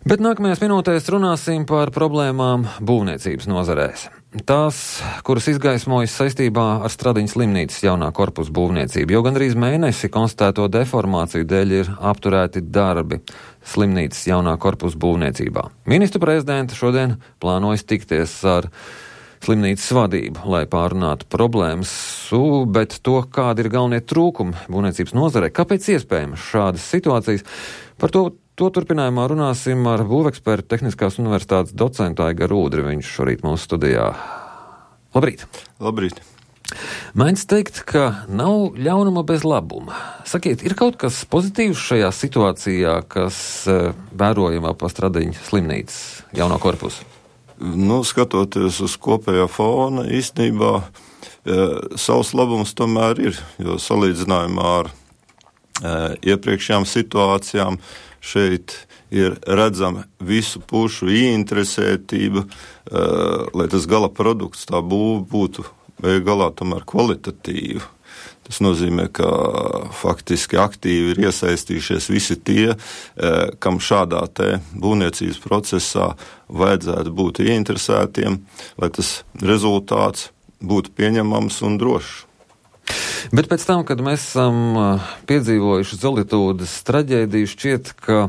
Bet nākamajās minūtēs runāsim par problēmām būvniecības nozarēs. Tās, kuras izgaismojas saistībā ar Stradiņas slimnīcas jaunā korpusa būvniecību, jo gandrīz mēnesi konstatēto deformāciju dēļ ir apturēti darbi slimnīcas jaunā korpusa būvniecībā. Ministru prezidenta šodien plānojas tikties ar slimnīcas vadību, lai pārunātu problēmas, bet to, kādi ir galvenie trūkumi būvniecības nozarē, kāpēc iespējams šādas situācijas, par to turpinājumā runāsim ar būvekspertu Tehniskās universitātes docentu Aigaru Ūdri. Viņš šorīt mūsu studijā. Labrīt! Labrīt! Mēdz teikt, ka nav ļaunuma bez labuma. Sakiet, ir kaut kas pozitīvs šajā situācijā, kas vērojama pa Stradiņas slimnīcas jauno korpusu? Skatoties uz kopējā fona, īstenībā savs labums tomēr ir, jo salīdzinājumā ar iepriekšējām situācijām šeit ir redzama visu pušu ieinteresētība, lai tas gala produkts, tā būve būtu galā tomēr kvalitatīva. Tas nozīmē, ka faktiski aktīvi ir iesaistījušies visi tie, kam šādā te būvniecības procesā vajadzētu būt ieinteresētiem, lai tas rezultāts būtu pieņemams un drošs. Bet pēc tam, kad mēs esam piedzīvojuši Zolitūdes traģēdiju, šķiet, ka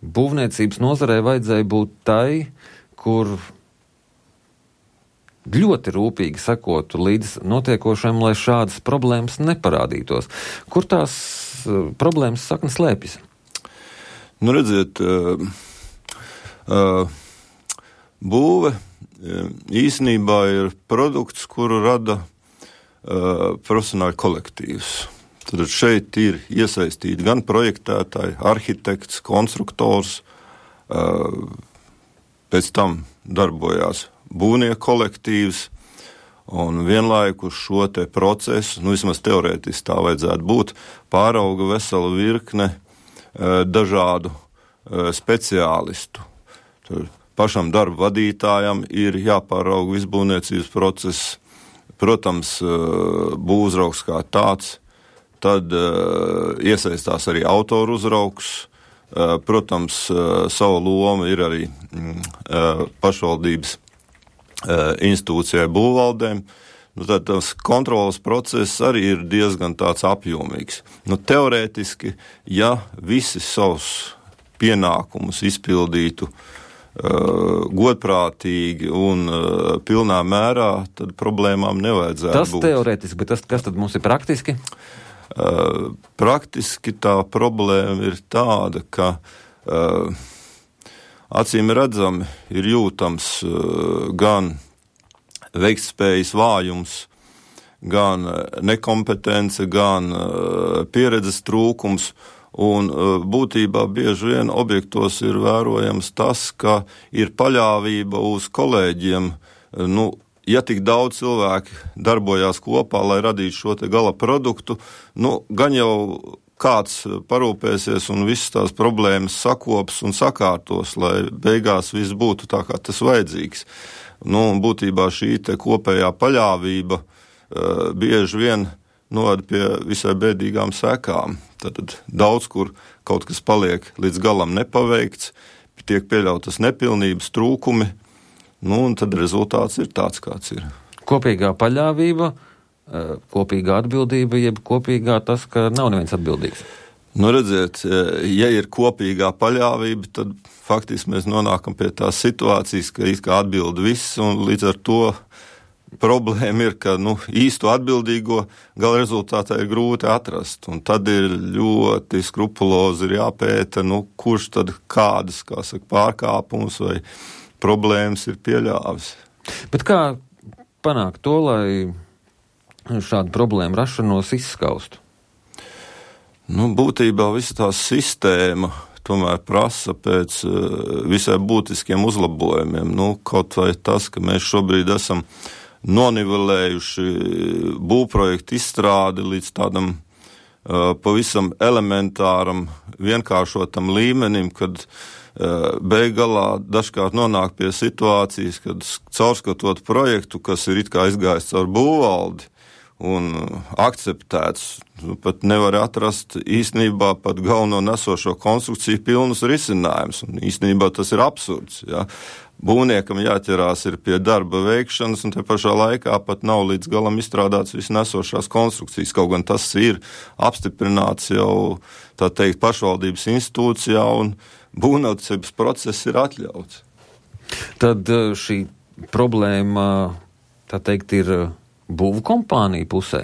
būvniecības nozarē vajadzēja būt tai, kur ļoti rūpīgi sekotu līdz notiekošajam, lai šādas problēmas neparādītos. Kur tās problēmas saknes slēpjas? Redziet, būve īstenībā ir produkts, kuru rada profesionāļu kolektīvs. Tad šeit ir iesaistīti gan projektētāji, arhitekts, konstruktors, pēc tam darbojās būvnieku kolektīvs, un vienlaikus šo te procesu, vismaz teorētiski tā vajadzētu būt, pārauga vesela virkne dažādu speciālistu. Tad pašam darba vadītājam ir jāpārauga viss būvniecības process, protams, būvuzraugs kā tāds, tad iesaistās arī autoru uzraugs, protams, savu lomu ir arī pašvaldības institūcijai būvvaldēm. Tad tas kontrolas process arī ir diezgan tāds apjomīgs. Teorētiski, ja visi savus pienākumus izpildītu godprātīgi un pilnā mērā, tad problēmām nevajadzētu būt. Tas teorētiski, bet kas tad mums ir praktiski? Praktiski tā problēma ir tāda, ka acīm redzami ir jūtams gan veiktspējas vājums, gan nekompetence, gan pieredzes trūkums. Un būtībā bieži vien objektos ir vērojams tas, ka ir paļāvība uz kolēģiem. Ja tik daudz cilvēki darbojās kopā, lai radītu šo te gala produktu, gan jau kāds parūpēsies un visas tās problēmas sakops un sakārtos, lai beigās viss būtu tā, kā tas vajadzīgs. Būtībā šī te kopējā paļāvība bieži vien novada pie visai bēdīgām sekām. Tad daudz kur kaut kas paliek līdz galam nepaveikts, tiek pieļautas nepilnības, trūkumi, un tad rezultāts ir tāds, kāds ir. Kopīgā paļāvība, kopīgā atbildība, jeb kopīgā tas, ka nav neviens atbildīgs? Redziet, ja ir kopīgā paļāvība, tad faktiski mēs nonākam pie tās situācijas, ka it kā atbild viss, un līdz ar to problēma ir, ka īstu atbildīgo gala rezultātā ir grūti atrast, un tad ir ļoti skrupulozi jāpēta, kurš tad kādas, pārkāpumus vai problēmas ir pieļāvis. Bet kā panākt to, lai šādu problēmu rašanos izskaustu? Būtībā visa tā sistēma tomēr prasa pēc visai būtiskiem uzlabojumiem. Kaut vai tas, ka mēs šobrīd esam nonivelējuši būvprojektu izstrādi līdz tādam pavisam elementāram, vienkāršotam līmenim, kad beigalā dažkārt nonāk pie situācijas, kad caurskatot projektu, kas ir it kā izgājis caur būvvaldi, un akceptēts. Pat nevar atrast īstenībā pat galveno nesošo konstrukciju pilnus risinājumus. Un īstenībā tas ir absurds. Ja? Būvniekam jāķerās ir pie darba veikšanas, un te pašā laikā pat nav līdz galam izstrādāts viss nesošās konstrukcijas. Kaut gan tas ir apstiprināts jau, tā teikt, pašvaldības institūcijā, un būvniecības process ir atļauts. Tad šī problēma, tā teikt, ir būvkompānija pusē?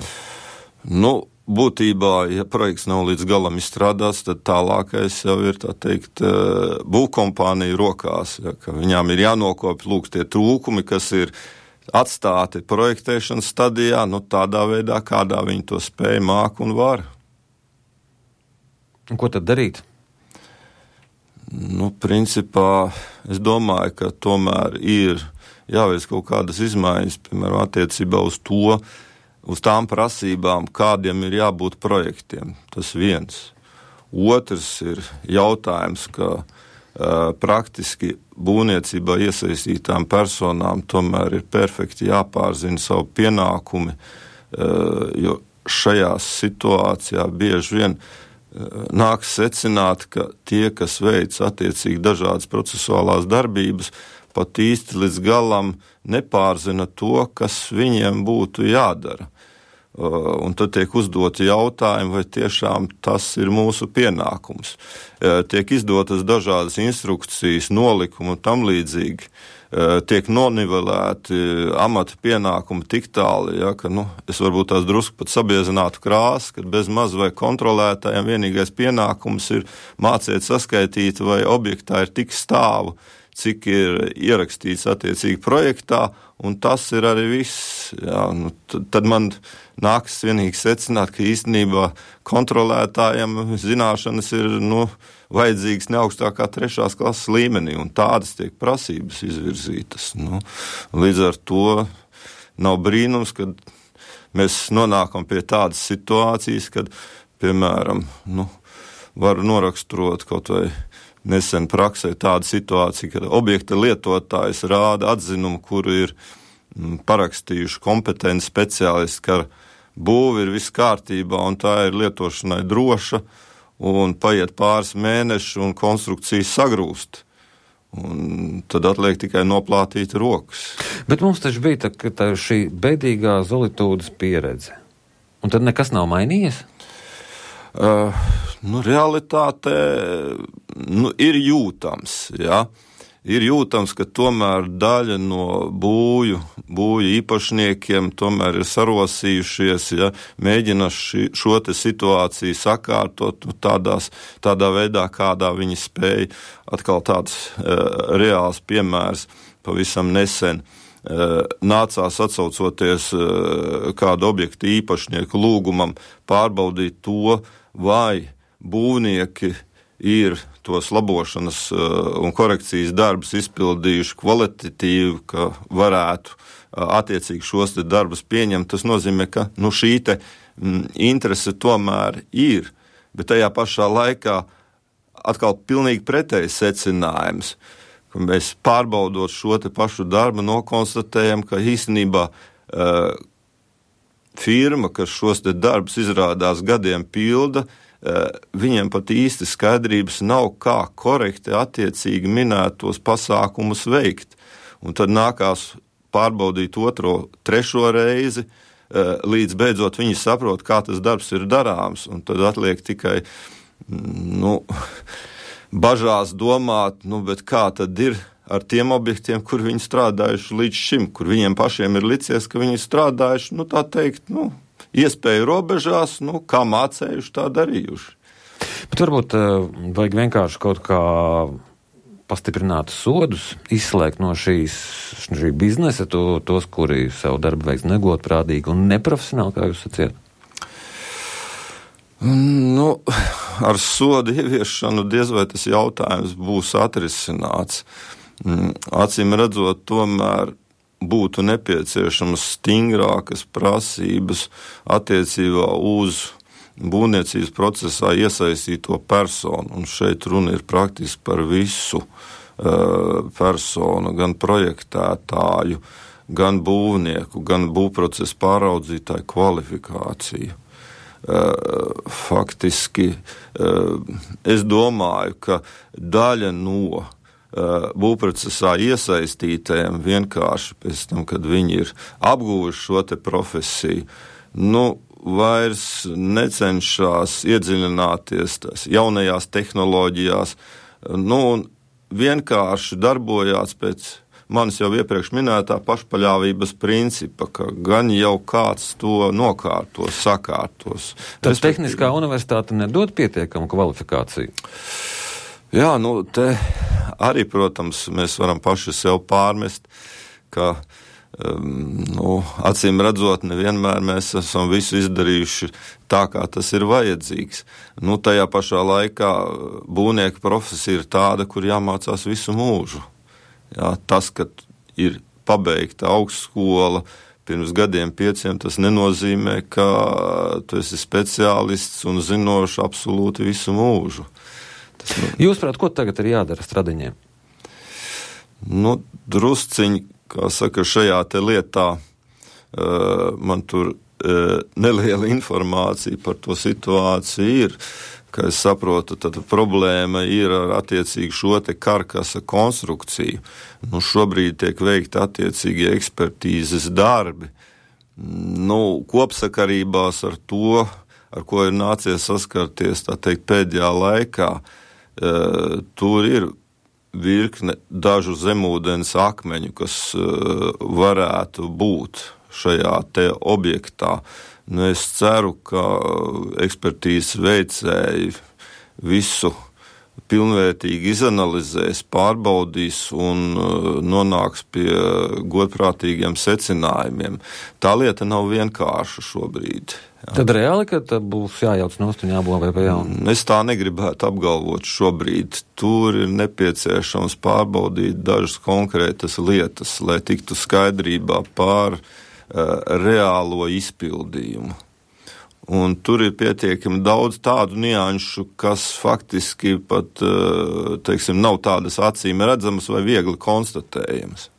Nu, būtībā, ja projekts nav līdz galam izstrādāts, tad tālākais jau ir, tā teikt, būvkompānija rokās, ja, ka viņām ir jānokopj lūk tie trūkumi, kas ir atstāti projektēšanas stadijā, nu tādā veidā, kādā viņi to spēj, māk un var. Un ko tad darīt? Nu, principā, es domāju, ka tomēr ir jāveic kaut kādas izmaiņas, piemēram, attiecībā uz to, uz tām prasībām, kādiem ir jābūt projektiem. Tas viens. Otrs ir jautājums, ka praktiski būvniecībā iesaistītām personām tomēr ir perfekti jāpārzina savu pienākumi, jo šajā situācijā bieži vien nāks secināt, ka tie, kas veic attiecīgi dažādas procesuālās darbības, pat īsti līdz galam nepārzina to, kas viņiem būtu jādara. Un tad tiek uzdoti jautājumi, vai tiešām tas ir mūsu pienākums. Tiek izdotas dažādas instrukcijas, nolikumi un tam līdzīgi. Tiek nonivelēti amata pienākumi tik tāli, ja, ka es varbūt tās drusku pat sabiezinātu krāsu, kad bez maz vai kontrolētājiem vienīgais pienākums ir mācīt saskaitīt, vai objektā ir tik stāvu, cik ir ierakstīts attiecīgi projektā, un tas ir arī viss. Jā, tad man nākas vienīgi secināt, ka īstenībā kontrolētājiem zināšanas ir vajadzīgas ne augstākā 3. klases līmenī, un tādas tiek prasības izvirzītas. Līdz ar to nav brīnums, kad mēs nonākam pie tādas situācijas, kad, piemēram, var noraksturot kaut vai nesen praksē tāda situācija, ka objekta lietotājs rāda atzinumu, kuru ir parakstījuši kompetenti speciālisti, ka būve ir viss kārtībā un tā ir lietošanai droša, un paiet pāris mēneši un konstrukcija sagrūst. Un tad atliek tikai noplātīt rokas. Bet mums taču bija tā šī bēdīgā Zolitūdas pieredze. Un tad nekas nav mainījies? Realitāte ir jūtams, ja. Ir jūtams, ka tomēr daļa no būju īpašniekiem tomēr ir sarosījušies, ja, mēģina šo te situāciju sakārtot tādā veidā, kādā viņi spēja. Atkal tāds reāls piemērs pavisam nesen. Nācās atsaucoties kādu objektu īpašnieku lūgumam pārbaudīt to, vai būvnieki ir tos labošanas un korekcijas darbus izpildījuši kvalitatīvi, ka varētu attiecīgi šos te darbus pieņemt. Tas nozīmē, ka šī te interese tomēr ir, bet tajā pašā laikā atkal pilnīgi pretējs secinājums, ka mēs pārbaudot šo te pašu darbu nokonstatējam, ka īstenībā firma, kas šos te darbus izrādās gadiem pilda, viņiem pat īsti skaidrības nav, kā korekti attiecīgi minētos pasākumus veikt. Un tad nākās pārbaudīt 2., 3. reizi, līdz beidzot viņi saprot, kā tas darbs ir darāms. Un tad atliek tikai, bažās domāt, bet kā tad ir ar tiem objektiem, kur viņi strādājuši līdz šim, kur viņiem pašiem ir licies, ka viņi strādājuši, tā teikt, iespēju robežās, kā mācējuši, tā darījuši. Bet varbūt vajag vienkārši kaut kā pastiprināt sodus, izslēgt no šī biznesa tos, kuri savu darbu veiks negodprātīgi un neprofesionāli, kā jūs sacījāt? Ar sodu ieviešanu diez vai tas jautājums būs atrisināts. Acīm redzot, tomēr būtu nepieciešamas stingrākas prasības attiecībā uz būvniecības procesā iesaistīto personu. Un šeit runa ir praktiski par visu personu, gan projektētāju, gan būvnieku, gan būvprocesu pāraudzītāju kvalifikāciju. Faktiski es domāju, ka daļa no būvprocesā iesaistītajiem vienkārši pēc tam, kad viņi ir apguvuši šo te profesiju, vairs necenšas iedziļināties tās jaunajās tehnoloģijās, un vienkārši darbojās pēc manis jau iepriekš minētā pašpaļāvības principa, ka gan jau kāds to nokārtos, sakārtos. Tad Tehniskā universitāte nedod pietiekamu kvalifikāciju? Jā, te arī, protams, mēs varam paši sev pārmest, ka acīm redzot, nevienmēr mēs esam visu izdarījuši tā, kā tas ir vajadzīgs. Tajā pašā laikā būvnieka profesija ir tāda, kur jāmācās visu mūžu. Jā, tas, ka ir pabeigta augstskola pirms gadiem 5, tas nenozīmē, ka tu esi speciālists un zinošs absolūti visu mūžu. Jūsuprāt, ko tagad ir jādara Stradiņiem? Drusciņi, kā saka, šajā te lietā man tur neliela informācija par to situāciju ir. Kā es saprotu, tad problēma ir ar attiecīgi šo te karkasa konstrukciju. Šobrīd tiek veikta attiecīgi ekspertīzes darbi. Kopsakarībās ar to, ar ko ir nācies saskarties, tā teikt, pēdējā laikā, tur ir virkne dažu zemūdens akmeņu, kas varētu būt šajā te objektā. Es ceru, ka ekspertīzes veicēji visu pilnvērtīgi izanalizēs, pārbaudīs un nonāks pie godprātīgiem secinājumiem. Tā lieta nav vienkārša šobrīd. Jā. Tad reāli, ka būs jājauc nost un jābūvē pa jaunu? Es tā negribētu apgalvot šobrīd. Tur ir nepieciešams pārbaudīt dažas konkrētas lietas, lai tiktu skaidrībā pār reālo izpildījumu. Un tur ir pietiekami daudz tādu nianšu, kas faktiski pat, nav tādas acīm redzamas vai viegli konstatējamas.